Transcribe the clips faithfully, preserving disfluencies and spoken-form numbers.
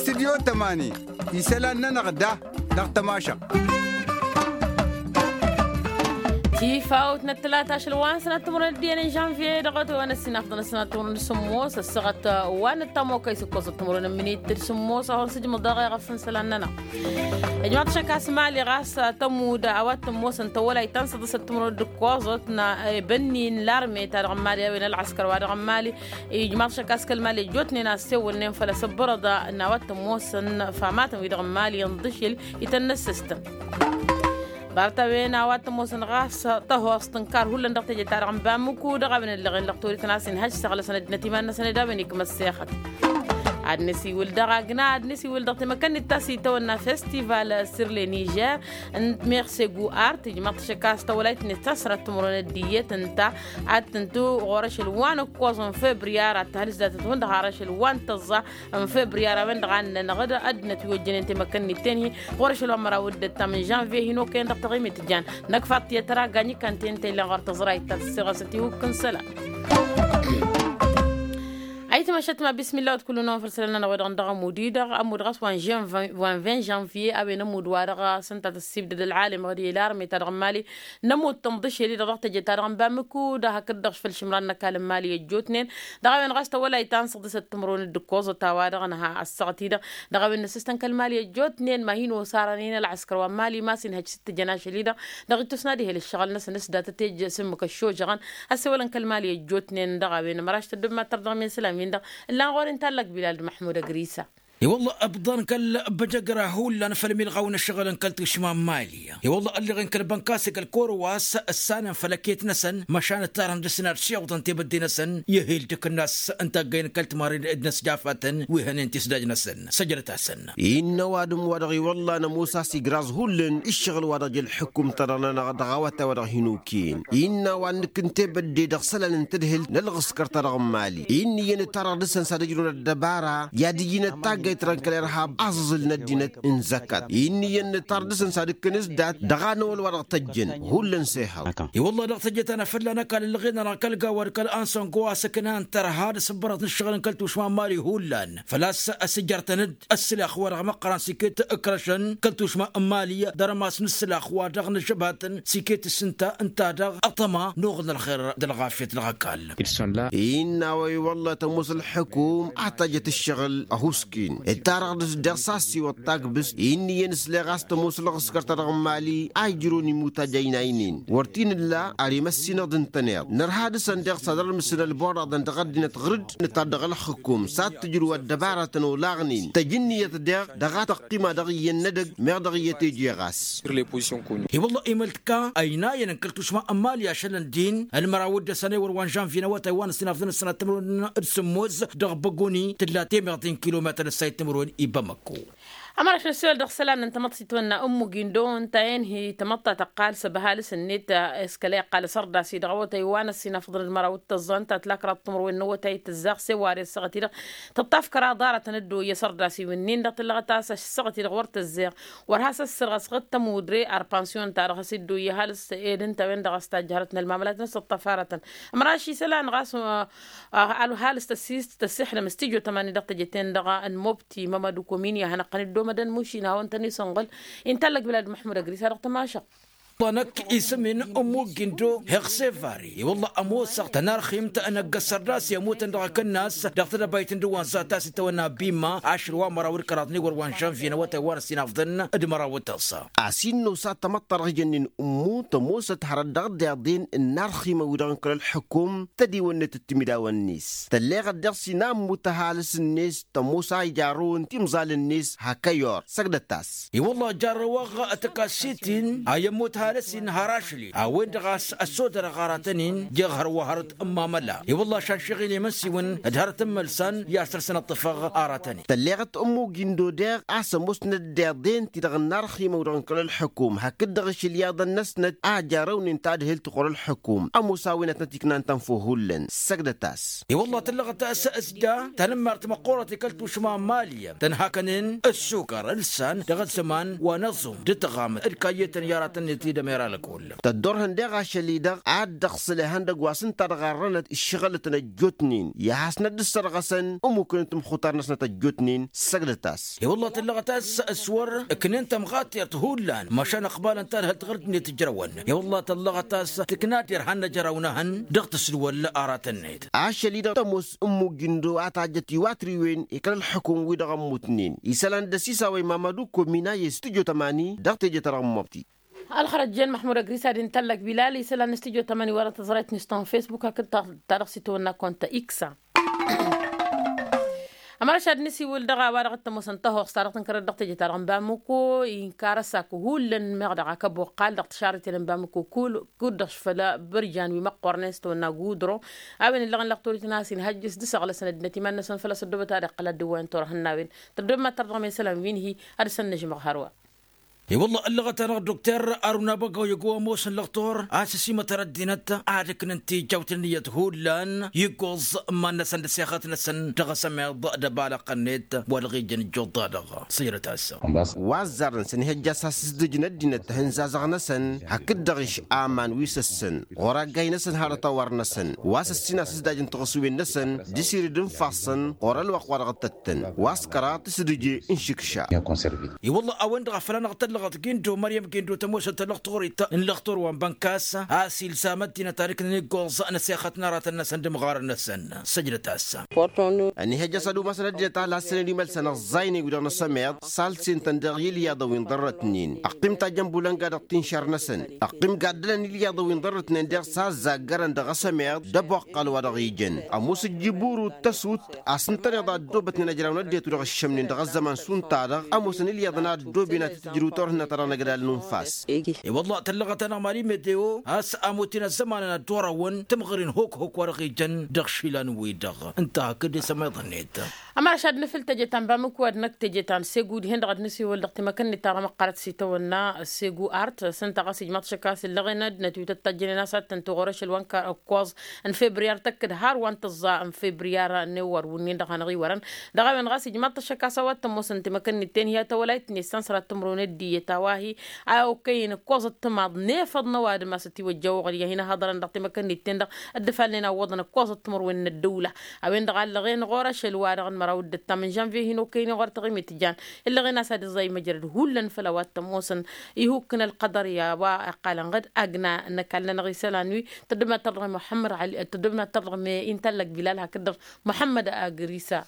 Stidyo tămani isălan-nănăɣ da dăɣ-tămašăɣt. Tifawt n-ăttălat ašăl wa n-sănat timǝrwen d-iyyăn n-žănvye dăɣ-otăy wa n-ăssinafḍăn ăssinat timǝrwen d-sǝmmos ăssaɣăt wa n-ăttamokăy s-ǝkkoẓăt timǝrwen n-minit d-sămmos a-wa n-sǝjmǝḍ dăɣ-eɣăf n-isălan-nănăɣ. Ijmaḍ-t ašăk a-s mali ɣas tămud a-wa t-ămoosăn tawălayt ta n-săḍǝsăt timǝrwen d-ǝkkoẓăt n-ebănni n-larme-ta-dăɣ n-mali a-wen ălɣăskăr-wa-dăɣ n-mali. Ijmaḍ-t ašăk a-s kăl-mali ăjjootnen a ăssewălnen făll-asǝbbărăḍ n-a-wa t-ămoosăn famatăn-wi-dăɣ n-mali ǝnḍǝšǝl itănnăssăstăn. Ḍarăt-a-wen a-wa t-ămoosăn ɣas tăhoẓt n-kar hullan dăɣ-teje-ta-dăɣ n-bamǝku dăɣ-a-wen ăllăɣen dăɣ-torităn a-s inhăj săɣlăsăn ăddinăt iman-năsăn ed a-wen ikmăssexăt. Ad-năsiwǝl dăɣ-agna ad-năsiwǝl dăɣ-temăkănnit ta s-itawănna festival sir le nižer n-meɣsegu art ijmăḍ-t ašăk a-s tawălayt-net ta s-sănat timǝrwen d-iyyăt ǝnta ad-tǝntu ɣur-ašăl wa n-ǝkkoẓ n-febriyar ad-tăhăl s-datăt hundăɣ har ašăl wa n-tăẓẓa n-febriyar a-wen-dăɣ a nǝnnănăɣ-dd ăddinăt wi ojjănen temăkănnit-ten-hi ɣur-ašăl wa n-măraw d-ǝttam n-žănvye hin-okăyăn dăɣ-taɣimit jan năkfaḍ tiyyăt tăra gany ikkan-ten tăyllăn ɣur-tăẓrayt ta s-siɣăsăt i-wǝkk n-isălan. Ayǝtmăšăt ma bismilla wăd kullu-năwăn făll-isălan-nănăɣ wa dăɣ-nămud-i-dăɣ ămud ɣas wa n-ven žănvye a-wen ămud wa dăɣ-s ǝnta tăssibdăd ălɣalem ɣǝd i-larme ta dăɣ-n mali n-ămud tǝnḍǝšel-i-dăɣ dăɣ-teje-ta-dăɣ n-bamǝku d-ad-hakd-dăɣ făll-išǝmran n-ăkall n-mali ăjjootnen. Dăɣ-a-wen ɣas tăwălayt ta n-săḍǝsăt timǝrwen d-ǝkkoẓăt a-wa-dăɣ nǝha ăssaɣăt-i-dăɣ. Dăɣ-a-wen n-ǝssǝstăn kăl-mali ăjjootnen ma hin-osarănen ălɣăskăr wa n-mali ma s-inhăj s-t-tǝjăn ašăl-i-dăɣ dăɣ-ittus n-ad-ihel ǝššăɣǝl-năsăn s-datăt ej s-ǝmmǝk ăššojăɣăn. Ăssewălăn kăl-mali ăjjootnen dăɣ-a-wen ămraš tăddob mad-tărdăɣ imen isălan-win-dăɣ ǝllan ɣur-i n-tallăg bilal d-măḥmud ăgrisa. I-wălla ǝbḍan kăl-băjăgra hullan făll-milɣaw n-ǝššăɣǝl n-kăl-tušma n-mali. I-wălla ălleɣen kăl-bănkas i-kăl-korwas ǝssanăn făll-ăket-năsăn măšan ǝttarăn dăr-s n-ad-siwǝḍăn tebădde-năsăn i-ehel d-akǝnnas n-taggăyăn kăl-timarren d-inăsjafatăn wi hănen tisdaj-năsăn. Săjdăt-asăn. Innă ăwadǝm-wa-dăɣ i-wălla nămoos a-s igraẓ hullan ǝššăɣǝl-wa-dăɣ jăl-ḥǝkkum-ta-dăɣ-nănăɣ dăɣ-awătay-wa-dăɣ hin-okăyăn. Innă a-wa n-nǝkk n-tebădde dăɣ-isălan n-tadhǝlt n-ălɣǝskăr-ta-dăɣ n-mali. Inn'-iyyăn ǝttarăɣ dăr-săn s-ad-ǝjrǝwăn ăddăbara i-ad-ǝjǝn ătaggayt-dăɣ n-kăl-irhab aẓǝẓǝl n-ăddinăt n-zăkkat. Inn'-iyyăn nǝttar dăr-săn s-ad-ǝkkǝn s-dat dăɣ-anăwăl-wa-dăɣ tăjjăn. Hullan s-ehăḍ. I-wălla dăɣ-teje ta n-afălla n-ăkall ǝlɣen-anăɣ kăl-gawad kăl-ansăngo a-s ǝknan tărha d-asǝbbărăt n-ǝššăɣǝl n-kăl-tušma n-mali hullan. Făl-a-s ăsǝjărtăn-dd ăssǝlax-wa-dăɣ măqqărăn s-iket ǝkrăšăn kăl-tušma n-mali d-armas n-ǝssǝlax-wa-dăɣ n-ăžžăbatăn s-iket s-ǝnta ǝnta-dăɣ ăṭṭăma n-oɣǝl n-ălxer d-ălɣafyăt dăɣ-ăkall. Innă a-wa i-wălla tămoos ălḥǝkum ad-tajjăt ǝššăɣǝl ăhuusken ǝttarăɣ dăr-s deɣ s-assiwăḍ tagbǝst. Inn'-iyyăn ǝsleɣ a-s tămoos ălɣǝskăr-ta-dăɣ n-mali a ijrǝwăn imutaj a inaynen wăr t-in-ǝlla ar imăssinăɣ d-ǝntăneḍ nărha dăr-săn deɣ s-ad-ărmǝsǝn ălborraḍăn dăɣ-ăddinăt ɣǝr-dd. Nǝttar dăɣ-ălxǝkum s-ad-tǝjrǝw ăddăbaratăn olaɣnen tăj ǝnniyăt deɣ dăɣ-ad-tăqqima dăɣ-iyyăn n-edăgg meɣ dăɣ-iyyăt eje ɣas. I-wălla-hi imăltǝka ăynayăn n-kăl-tušma n-mali ašălăn din ălmăraw d-ăssanăy wăr wa n-žănvye n-awătay wa n-ăssinafḍăn ăssanat timǝrwen d-sǝmmos dăɣ-băguni tǝlla temeɣt n-kilometăr ăssayăt timǝrwen i-bamăkko. Ămăraš n-ăssewăl dăɣ-isălan n-tamăḍt s-itwănna ǝmmu gindo ǝnta-en hi-tamăḍt ta tăqqal s-ăbhal s-net s-kăla iqqal asărdas-i-dăɣ awătay wa n-ăssinafḍăn d-măraw d-tăẓẓa ǝnta tǝla kăraḍ timǝrwen n-awătay tǝzzaɣ s-e-wa d-e-ăssaɣăt-i-dăɣ tǝṭṭaf kăraḍ aratăn ăddoyy asărdas-iw-nin-dăɣ tǝllăɣăt a-s ăssaɣăt-i-dăɣ wăr tăzzeɣ. Wăr has-ăssărɣăs ɣǝd tămudre ar pansiyon-ta-dăɣ has-iddoyy ăhalǝs ed ǝnta-wen-dăɣ a-s tajjărăt n-ălmamălat n-asǝṭṭăf aratăn. Ămraš isălan ɣas ăhalǝs tăsist tăssixlăm s-tijo tămani dăɣ-teje-ten-dăɣ n-mobti mămădu komin i-ad-hanăɣ-tăn-dd-omădăn mušin a hawăn-tăn-isǝnɣǝl. Intallăg bilad măḥmud ăgris-a-dăɣ tămašăɣ. Ḍanăk isǝm-in ǝmmuk gindo heɣ sevari i-wălla ămoosăɣ tănarximt n-ăgg-ăssărdas i-ămutăn dăɣ-akǝnnas dăɣ-tedăbayt n-dăwăn za ta s-itawănna bimma ašăl wa măraw d-kăraḍ n-iwăr wa n-žănvye n-awătay wa n-ăsinafḍăn d-măraw d-tăẓẓa. A-s innă osa tamăḍt ta dăɣ-ijănnen ǝmmu tămoosăt hărăt dăɣ-dd-iḍen ǝnnarximăn-wi-dăɣ n-kăl-ălxǝkum tădiwănnet d-timǝdawăn-net tălleɣăt deɣ s-inammu tăhalǝs-net tămoos a ijarrăwăn timẓal-net hak ăyor săgdăt-as. I-wălla jarrăwăɣ tăkassit-in a i-ămmut halăs-in har ašăl-in a-wen-dăɣ a-s ăssodărăɣ aratăn-in jeɣ hărwa hărăt n-mamăla i-wălla ašan šăɣil i-imănsiwăn d-hărăt n-imălsan i-ad-săr-săn ăṭṭăfăɣ aratăn-in. Tălleɣăt ămmu gindo deɣ a-s ămoosnăt d-iḍen-ti-dăɣ ǝnnarximăn-wi-dăɣ n-kăl-ălxǝkum hakd-dăɣ ašăl iyyăḍăn-năsnăt a jarrăwnen tadhǝlt ɣur-ălxǝkum ămoos a-wen ad-tăn-tiknan tănfo hullan săgdăt-as. I-wălla tǝllăɣăt a-s s-ja tanămmart măqqoorăt i-kăl-tušma n-mali tănhakănen ăssukăr ǝlsan dăɣ-ăzzăman wa n-ăẓum d-ǝttăɣam d-kayyetăn i-aratăn-net-dd. Mera lăkull. Tăddorhăn deɣ ašăl-i-dăɣ ad-dd-ăɣsǝl ihăndăgg wa s-ǝnta-dăɣ arrănăt ǝššăɣǝlătăn ăjjootnen i-ad-hasnăt dd-sărɣăsăn ămmukǝnăn tamxutar-năsnăt ăjjootnen. Săgdăt-as. I-wălla tăllăɣăt a-s s-wăr ǝknen tămɣatert hullan măšan ăqbalăn talhălt ɣur-ǝddinăt ǝjrăwăn. I-wălla tăllăɣăt a-s tǝkna derhan n-ajăraw n-ehăn dăɣ-tǝsǝlwăl aratăn-net. Ašăl-i-dăɣ tămoos ǝmmuk gindo a tajjăt iwatriwen ikăl ălxǝkum-wi-dăɣ ămmutnen isălan d-ăsisaw i-mamădu komina i-studyo tămani dăɣ-teje-ta-dăɣ n-mobti. Ălxărăt jen măḥmud ăgris ad-intăllăk bilal isălan n-studyo tămani wăr-tăẓrayt n-istan facebook hakd ta-dăɣ s-itwănna konta iksa. Ămărăš ad-nǝsiwǝl dăɣ-a-wa dăɣ-t ămoosăn tăhoɣs ta dăɣ-tǝnkărăt dăɣ-teje-ta-dăɣ n-bamǝko inkar ăsakk hullan meɣ dăɣ-akăbbo ǝqqal dăɣ-tišarriten n-bamǝko kull kud-dăɣ făll-bărjan wi măqqornen s-tawănna gudro. A-wen ǝllăɣăn lăɣtorit n-a-s inhăjjǝs d-isăɣlăsăn ăddinăt iman-năsăn făl-a-s ăddoobăt ad-iqqăl ad-dd-ǝwwayăn turăhăn n-a-wen tăddobem ad-tărdăɣ mesălan wi n-hi ad-săn-nǝžmăɣ hărwa. I-wălla ăllăɣăt-anăɣ dokter aruna băgăw i-găw ămoosăn lăɣtor a-s ăsimătăn ăddinăt ad-ǝknǝn tijjawt n-ǝnniyăt hullan iggoẓ n-iman-năsăn d-asixăt-năsăn dăɣ-asămeḍ d-ăbalăɣ-net wa dăɣ-ijăn ǝjjuḍ-ta-dăɣ. Sǝjrăt-as. Wa ăzzarăn s-ănihăjja a-s asǝzdǝj n-ăddinăt tǝhǝnza zăɣ-năsăn hakd-dăɣ iš'aman wi s-ăssăn ɣur-aggay-năsăn harăt a wăr-năsăn wa s-ăssin asǝzdaj n-tiɣǝswen-năsăn d-isirid n-ifassăn ɣur-ălwăqq wa dăɣ-tăt tăn wa s-kăraḍ tǝsdǝje n-išǝkša. I-wălla a-wen-dăɣ a făl-anăɣ tăllăɣăt gindo măryăm gindo tămoosăt tălăɣtorit n-lăɣtor wa n-bănkas a-s ilzam ăddinăt ad-ǝknăn iggoẓ n-asixăt n-aratăn-năsăn d-imɣarăn-năsăn. Săjdăt-as. Ănihăjja a-s ad-umasăn ăddinăt a ălhassănen imălsăn ăẓẓaynen wi-dăɣ n-asămeḍ salsen-tăn dăɣ-ilyaḍăn wi n-ḍărrătnen ăqqim tajjăn bulănga dăɣ-tinšar-năsăn ăqqim gaddălăn ilyaḍăn wi n-ḍărrătnen deɣ s-a ăzzaggărăn dăɣ-asămeḍ d-ăboqqal wa dăɣ-ijăn ămoos ǝjjǝburu d-tăsut a-s ǝntăneḍ a ăddoobătnen ăjraw n-ăddinăt wi-dăɣ ǝššămnen dăɣ-ăzzăman šund-ta-dăɣ ămoosăn ilyaḍăn a ăddooben ad-t-tǝjrǝw turhǝnna-ta-dăɣ n-agdal n-unfas. I-wălla tăllăɣăt-anăɣ mali medeo a-s ămoten ăzzămanăn ad-dd-orăwăn tǝmɣărin hok-hok wa dăɣ-ijăn dăɣ-išilan-wi-dăɣ ǝnta hakd isămeḍ-net. Ămăraš ad-nǝfǝl teje ta n-bamǝku ad-năkk teje ta n-segu dihen-dăɣ ad-nǝsiwǝl dăɣ-temăkănnit ta dăɣ-măqqărăt s-itawănna segu art s-ǝnta ɣas ijmaḍ šăkka a-s ǝllăɣen ăddinăt wi tăt-tajjănen a-s ad-tăn-tuɣ ɣur-ašăl wa n-kăkkoẓ n-febriyar tăkk-dd har wa n-tǝẓẓa n-febriyar n-ewăr wǝnnin-dăɣ hanăɣ-iwărăn. Dăɣ-a-wen ɣas ijmaḍ-t ăššăk a-s a-wa t-ămoosăn temăkănnit-ten hi-ad-tawălayt-net s-ănṣărat timǝrwen ăddiyăt a-wa hi-a okăyăn ǝkkoẓ d-timaḍ n-efăḍ n-ăwadǝm a-s ătiwăjja oɣăl i-ad-hin-ăhaḍărăn dăɣ-temăkănnit-ten-dăɣ. Dd-ǝfalnen a ǝwwăḍăn ǝkkoẓăt timǝrwen n-ăddăwla a-wen-dăɣ a ǝllăɣen ɣur-ašăl wa-dăɣ n-măraw d-ǝttam n-žănvye hin-okăynen ɣur-taɣimit jan. Ǝllăɣen a-s ad-iẓẓay măjrăd hullan făll-a-wa t-ămoosăn ihuk n-ălqăḍăr i-a-wa ăqqalăn ɣǝd agna n-ăkall-nănăɣ isălan-wi. Tăddobna tărdăɣ i-muḥămmăd ali tăddobna tărdăɣ me-i n-tallăk bilal hakd-dăɣ muḥămmăd agrisa.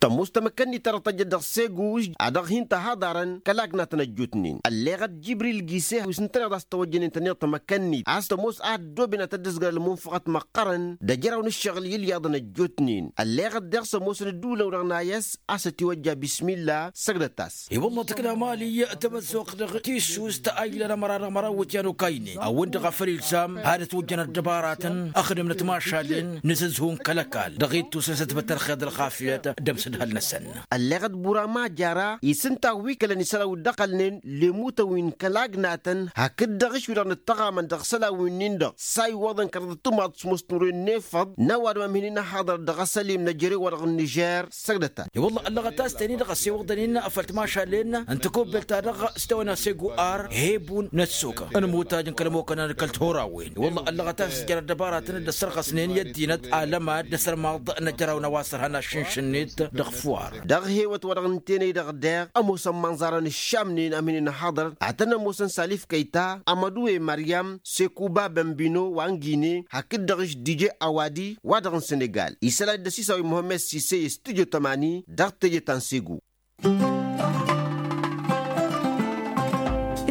Tămoos tamăkkănnit ta dăɣ-tăjjăt dăɣ-seguž a dăɣ-hin-tăhaḍarăn kăl-agnatăn ăjjootnen ălleɣăt jibril gise wi s-ǝntăneḍ a-s tăwăjjănen tăneḍ tamăkkănnit a-s tămoos a ăddooben ad-tăt-dd-ǝzgăr ălmunfăɣăt măqqărăn d-ajăraw n-ǝššăɣǝl i-ǝlyaḍăn ăjjootnen. Ălleɣăt deɣ s-ămoosăn ădduulăn-wi-dăɣ n-ayăs a-s ătiwăjja bismilla. Săgdăt-as. I-wălla tǝkna mali tamăzzuɣt dăɣ-tissust a ilan ămăra dăɣ-măraw iwǝtyan okaynen a-wen-dăɣ a făl ilsam ad-ătwǝjjăn ăddăbaratăn ăxdǝmnăt mašalen n-asǝzhu n-kăl-ăkall dăɣ-ittus n-sătbăt ărxeḍ ălxafyăt d-ămsǝdhăl-năsăn. Ălleɣăt bura majara isǝnta wi kălăn isălan wi dd-ăqqălnen lemutăn wi n-kăl-agnatăn hakd-dăɣ išwi-dăɣ n-ǝttăɣamăn dăɣ-isălan winnin-dăɣ s-a iwwăḍăn kăraḍăt timaḍ s-mos timǝrwen n-efăḍ n-ăwadǝm a ămhǝynen ăhaḍărăt dăɣ-asălim n-ejăre-wa-dăɣ n-nižer. Săgdăt-a. I-wălla ăllăɣăt a-s teni-dăɣ ăssewăḍăn-in făll-timašalen n-tăkobbelt-ta-dăɣ s-tawănna segu ar hebun n-ăssok n-imutaj n-kăl-ămokănăn d-kăl-tihorawen. I-wălla ăllăɣăt a-s ǝjjărăt dăbaratăn dd-ăssărɣăsnen i-ăddinăt alămad d-asărmaḍ n-ăjraw n-a-wa s-ărhăn ašǝnšǝn-net dăɣ-fuwar. Dăɣ-hewăt wa dăɣ-nǝntenăy-dăɣ deɣ ămoosăn imănẓarăn ǝššamnen ămhǝynen ăhaḍărăt ad-tăn-ămoosăn salif kăyta amădu i-măryam sekuba bănbino wa n-gine hakd-dăɣ-š dije awadi wa dăɣ-n senegal isălan d-ăsisaw i-muhămmed sise i-studyo tămani dăɣ-teje ta n-segu.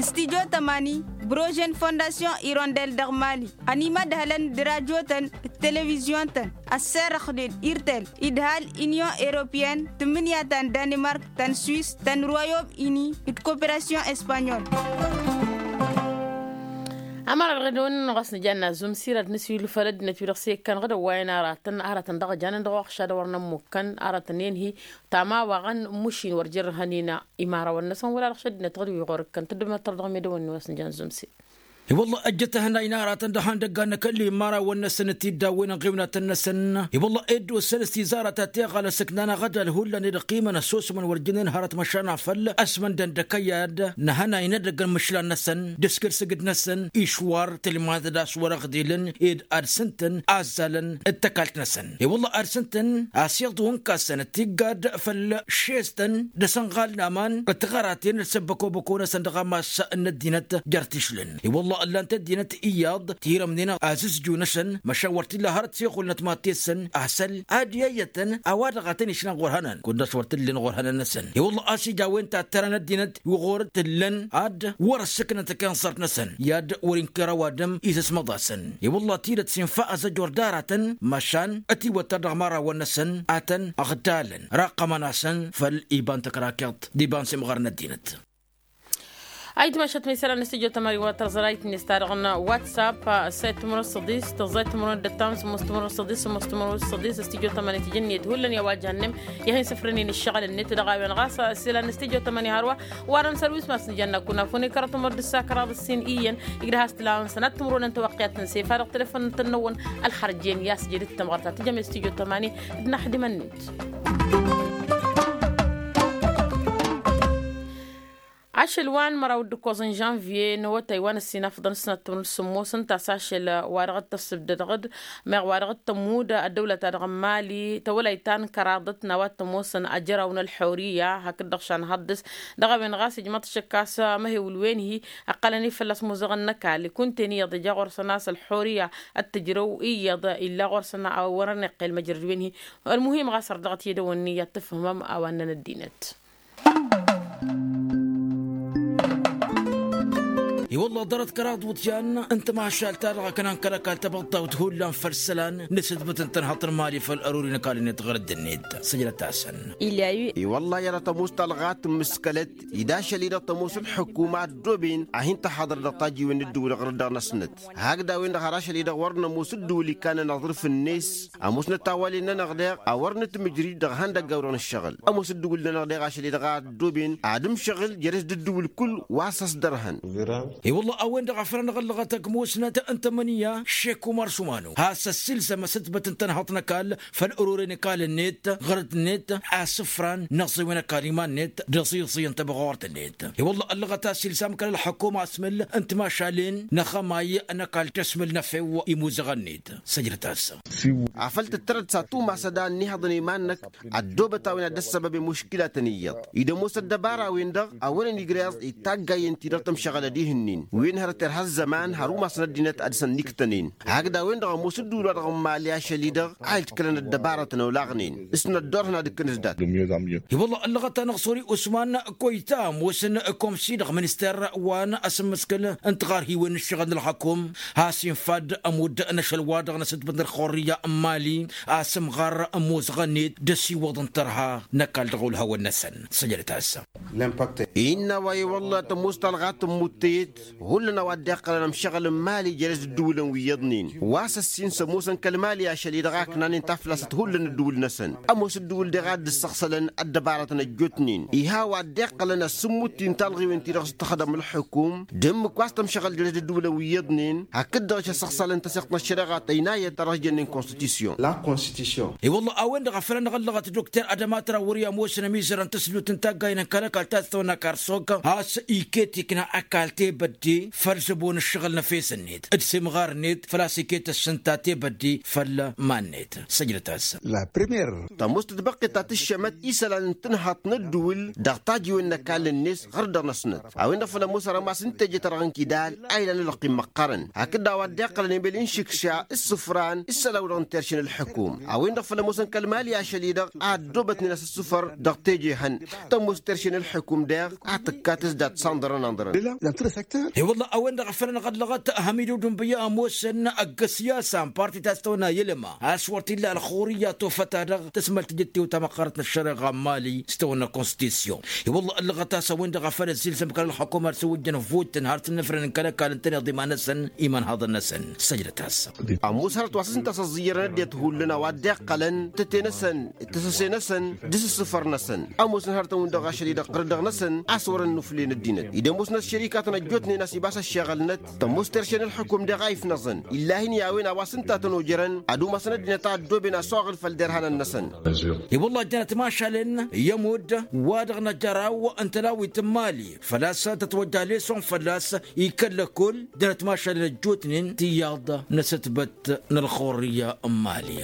Studyo tămani brože n-fondasyon irondel dăɣ-mali ănimădhălăn d-rajotăn d-televizyon-tăn ăsserăxnen irtel idhal inyon europeyăn tǝmmǝnǝya ta n-danimark ta n-swis ta n-royom ini d-koperasyon espanyol. Ămăra dăɣ-edăwăn-nănăɣ a-s nǝjanna zumsir ad-nǝswil făll-ăddinăt wi-dăɣ s-e-ikkăn ɣǝdăn wa-en aratăn aratăn dăɣ-ăjanen dăɣ-oɣšad a wăr nămmukkăn aratăn-en-hi tama wa ɣăn mušin wăr jărrăhăn-in imarawăn-năsăn wăla dăɣ-šăddinăt ɣǝd wi ɣur-ǝkkăn tăddăbnăt tărdăɣ medăwăn-ni wa s-nǝjan zumsir. I-wălla ăjjăt ehănay n-aratăn dăɣ-ihăndăggan n-akălli n-imărawăn-năsăn d-tiddawen n-iɣiwnatăn-năsăn. I-wălla ed ossăn s-tizarăt ta teɣalăs ǝknan aɣădal hullan ed ăqqimăn ăssosmăn wăr jǝnnen hărăt măšan afăl ăsmăndăn d-akăyad n-ehănay n-edăgg n-imǝšlan-năsăn d-asgărsǝgǝd-năsăn išwar tǝlmad d-aswărăɣ d-ilăn ed ad-sǝntăn azzalăn d-tăkalt-năsăn. I-wălla ad-sǝntăn asiḍu n-kassăn d-tiggad făll-šestăn d-asănɣal n-aman d-tiɣăraten d-săbbăkobăko-năsăn dăɣ-amas n-ăddinăt jer-tišlǝn. I-wălla ǝllan-t ăddinăt iyyăḍ tirǝmnen azǝzju-năsăn măšan wăr t-illa hărăt s-iɣulnăt mattessăn asăl ad-iyyătăn a-wa-dăɣ a tăn-išlăn ɣur-hănan kud-dăɣ s-wăr t-ǝllin ɣur-hănan-năsăn. I-wălla a-s ija a-wen tattăra n-ăddinăt wi ɣur-t-ǝllăn ad-wăr-ăssǝknăt ăkensărt-năsăn i-ad-wăr-inkăr ăwadǝm isǝsmăḍ-asăn. I-wălla tidǝt s-infa azăjor d-aratăn măšan ătiwăttăr dăɣ-imărawăn-năsăn a tăn-ăɣtalăn raqqămăn-asăn făll-iba n-tăkrakeḍt d-iba n-simɣar n-ăddinăt. Ayǝtmašat ma isălan n-studyo tămani wa tărẓărayt-net ta dăɣ-n whatsapp. Săyt timǝrwen s-săḍis tăẓẓayt timǝrwen d-ăttam sǝmmos timǝrwen s-săḍis sămmos timǝrwen s-săḍis studyo tămani tijǝnniyăt hullan i-a-wa jahănnem i-ad-hin-sǝfrănen ǝššăɣǝl-net dăɣ-a-wen ɣas isălan n-studyo tămani hărwa. Warăn săr wi s-ma s-nǝjănna kunafune kăraḍ timǝrwen d-ǝssa kăraḍ ǝssin iyyăn igdăh a-s tǝlawăn sănat timǝrwen n-tawăqqiyat n-sefa dăɣ-telefon n-tănnăwăn ălxărjen i-a-s jedăt tamɣărt ta tǝjăm i-studyo tămani d-inăxdimăn-net. Ašăl wa n-măraw d-ǝkkoẓ n-žănvye n-awătay wa n-ăssinafăḍăn s-năttămrǝd sǝmmos ǝnta a-s ašăl wa dăɣ-t-ăssǝbdădăɣ-dd meɣ wa dăɣ-t-tămmud ăddăwlăt-ta-dăɣ n-mali tawălayt ta n-kăraḍăt n-a-wa t-ămoosăn ajăraw n-ălxorǝyya hakd-dăɣ šanhăḍ dăɣ-s. Dăɣ-a-wen ɣas ijmăḍ šăkk a-s amăhewǝl-wen-hi ǝqqălăn ifălla-s muzăɣăn n-ăkall kunta-en iyyăḍ ija ɣur-săn a-s ălxorǝyya ăttăjrăw iyyăḍ illa ɣur-săn a wărăn iqqel măjrăd-wen-hi. Ălmuhim ɣas ărdăɣăt i-dăwănni i-ad-tǝfhǝmăm a-wa ǝnnăn ăddinăt. I-wălla ḍarăt kăraḍ iwǝḍyan n-tamašalt-ta-dăɣ ăknan kăl-ăkall tăbăḍḍawt hullan făll-isălan n-asǝtbǝt n-tănhăḍt n-imali făll-ăruri n-ăkall-net ɣur-ăddinăt. Săjdăt-asăn. I-wălla i-ad-tămoos talɣa tǝmmǝskălăt ed ašăl-i-dăɣ tămoos ǝlḥǝkuma ăddooben a hin-tăhaḍăr dăɣ-tajiwen n-ǝddǝwǝl ɣur-dăɣ-năsnăt hakd a-wen-dăɣ har ašăl-i-dăɣ wăr nămoos ǝddǝwǝl ikkanăn aẓrǝf-net. Ămoosnăt tawalen-nănăɣ deɣ a wăr nǝtmǝjrǝy dăɣ-ihăndăggaw-dăɣ n-ǝššăɣǝl. Ămoos ǝddǝwǝl-nănăɣ deɣ ašăl-i-dăɣ a ăddooben ad-ǝmšăɣǝl jere-s d-ǝddǝwǝl kull wa s-ăsdărhăn. I-wălla a-wen-dăɣ a făl anăɣ-ăllăɣăt ăgg musnăt n-tămănǝya šek umăr šumanu has-ăssiilsăm asǝtbăt n-tănhăḍt n-ăkall făll-ărore n-ăkall-net ɣărăt-net asǝfran n-aẓẓewen ăkall iman-net d-aẓiẓǝy n-tăbɣort-net. I-wălla ăllăɣăt a-s ilzam kăl-ălḥăkkum asmǝl n-timašalen n-axămay n-ăkall tăsmǝl n-efew imuzăɣăn-net. Săjdăt-as. Afăl tǝttărăd s-ad-tumasăd a ănnihăḍăn iman-năk ăddoobăt a-wen ad-dd-ăssăbăb i-muškilatăn iyyăḍ. Id-ămoos ăddăbara-wen-dăɣ a wărăn igrăẓ d-taggayen-ti-dăɣ tămšăɣălăd ihǝnnin wen hărăt irha ăzzăman har umasăn ăddinăt ad-săn-niktănen. Hakd a-wen-dăɣ ămoos ǝddǝwǝl-wa-dăɣ n-imali ašăl-i-dăɣ a ilkălăn ăddăbarătăn olaɣnen s-năddoorăn ad-ǝkkǝnǝs dat. I-wălla ăllăɣăt-anăɣ sori usman koyta ămoosăn komsi dăɣ-minister wa n-asǝmmǝskǝl n-tiɣarhiwen n-ǝššăɣǝl n-ălxăkum has-infa-dd ămudd n-ašăl-wa-dăɣ n-asǝtbǝt n-ălxurrǝyya n-imali a-s ămɣar ămoosăɣ-net d-ăsiwăḍ n-tărha n-ăkall dăɣ-olhawăn-năsăn. Săjdăt-as. Innă a-wa i-wălla tămoos talɣa tǝmmut tăyet hullan a-wa dd-iqqălăn ămšăɣǝl n-imali jere-s d-ǝddǝwǝlăn wi iyyăḍnen wa s-ăssin s-ămoosăn kăl-imali ašăl-i-dăɣ a ǝknanen taflasăt hullan ǝddǝwǝl-năsăn. Ămoos ǝddǝwǝl daɣ a dd-ǝssăɣsălăn ăddăbarătăn ăjjootnen iha a-wa dd-iqqălăn ăssǝmmut-in talɣiwen-ti-dăɣ s-tăxdăm ǝlxǝkum d-ǝmmǝk wa s-tămšăɣăl jere-s d-ǝddǝwǝlăn wi iyyăḍnen hakd-dăɣ išăssăɣsălăn tăsiɣt n-ăššăreɣa tăynayăt ta dăɣ-s jănnen konstitusyon. I-wălla a-wen-dăɣ a făl anăɣ-ăllăɣăt dokter adăma trawări ămoosăn ămizăr n-tăsdut n-taggayen n-kăl-ăkall ta s-tăwănna karsok has-iket ikna ăkall tebădde făll-zăbo n-ǝššăɣǝl n-efes-net d-simɣar-net făl-a-s iket ăssǝnta tebădde făll-iman-net. Săjdăt-as. Tămoos tǝtbăqqet ta tǝššămăt isălan n-tǝnhaḍt n-ǝddǝwǝl dăɣ-tajiwen n-ăkall-net ɣur-dăɣ-năsnăt a-wen-dăɣ făl ămoos arămas n-teje-ta-dăɣ n-kidal a ilan ălqim măqqărăn hakd a-wa dd-iqqălăn emel n-išǝkša s-isǝfran s-isălan-wa-dăɣ n-terše n-ǝlxǝkum. A-wen-dăɣ făl ămoosăn kăl-imali ašăl-i-dăɣ a ăddoobătnen a-s ǝssǝfăr dăɣ-teje hăn tămoos terše n-ǝlxǝkum daɣ a tǝkkat s-dat s-anḍărăn anḍărăn. I-wălla a-wen-dăɣ a făl anăɣ-ăllăɣăt hamidu dănbǝyya ămoosăn ăgg-ăsyasa n-parti ta s-tăwănna i-ălma a-s wăr t-illa ălxurǝyya tofăt-ta-dăɣ tăsmăl tijǝttiwt ta măqqărăt n-ăššăreɣa n-mali s-tăwănna konstitusyon. I-wălla ăllăɣăt a-s a-wen-dăɣ a făl ăzzilsăm kăl-ălxăkum ar s-ăwwǝjjăn vot-tăn har s-ǝnnǝfrănen kăl-ăkall ǝntăneḍ iman-năsăn iman haḍăn-năsăn. Săjdăt-as. Ămoos hărăt wa s-ǝnta a-s ăẓẓǝyyărăn ăddinăt hullan a-wa dd-iqqălăn tăte-năsăn d-tăsăse-năsăn d-asǝssǝfăr-năsăn. Ămoosăn hărătăn-win-dăɣ ašăl-i-dăɣ ɣǝr-dăɣ-năsăn a-s wărăn nuflen ăddinăt ed ămoosnăt šărikatăn ăjjootnen. N-asibas ăššeɣălnăt tămoos terše n-ǝlxǝkum deɣ a ifnăẓăn illahin i-a-wen a-wa s-ǝnta a tăn-ojărăn ad-umasăn ăddinăt a ăddooben assoɣǝl făll-derhanăn-năsăn. I-wălla ăddinăt mašalăn i-ămudd wa-dăɣ n-ajăraw n-tălawit n-imali făl-a-s tătwăjja leson fălla-s ikăl-lăkull. Ăddinăt mašalăn ăjjootnen tiyyăḍ n-asǝtbăt n-ălxurrǝyya n-imali.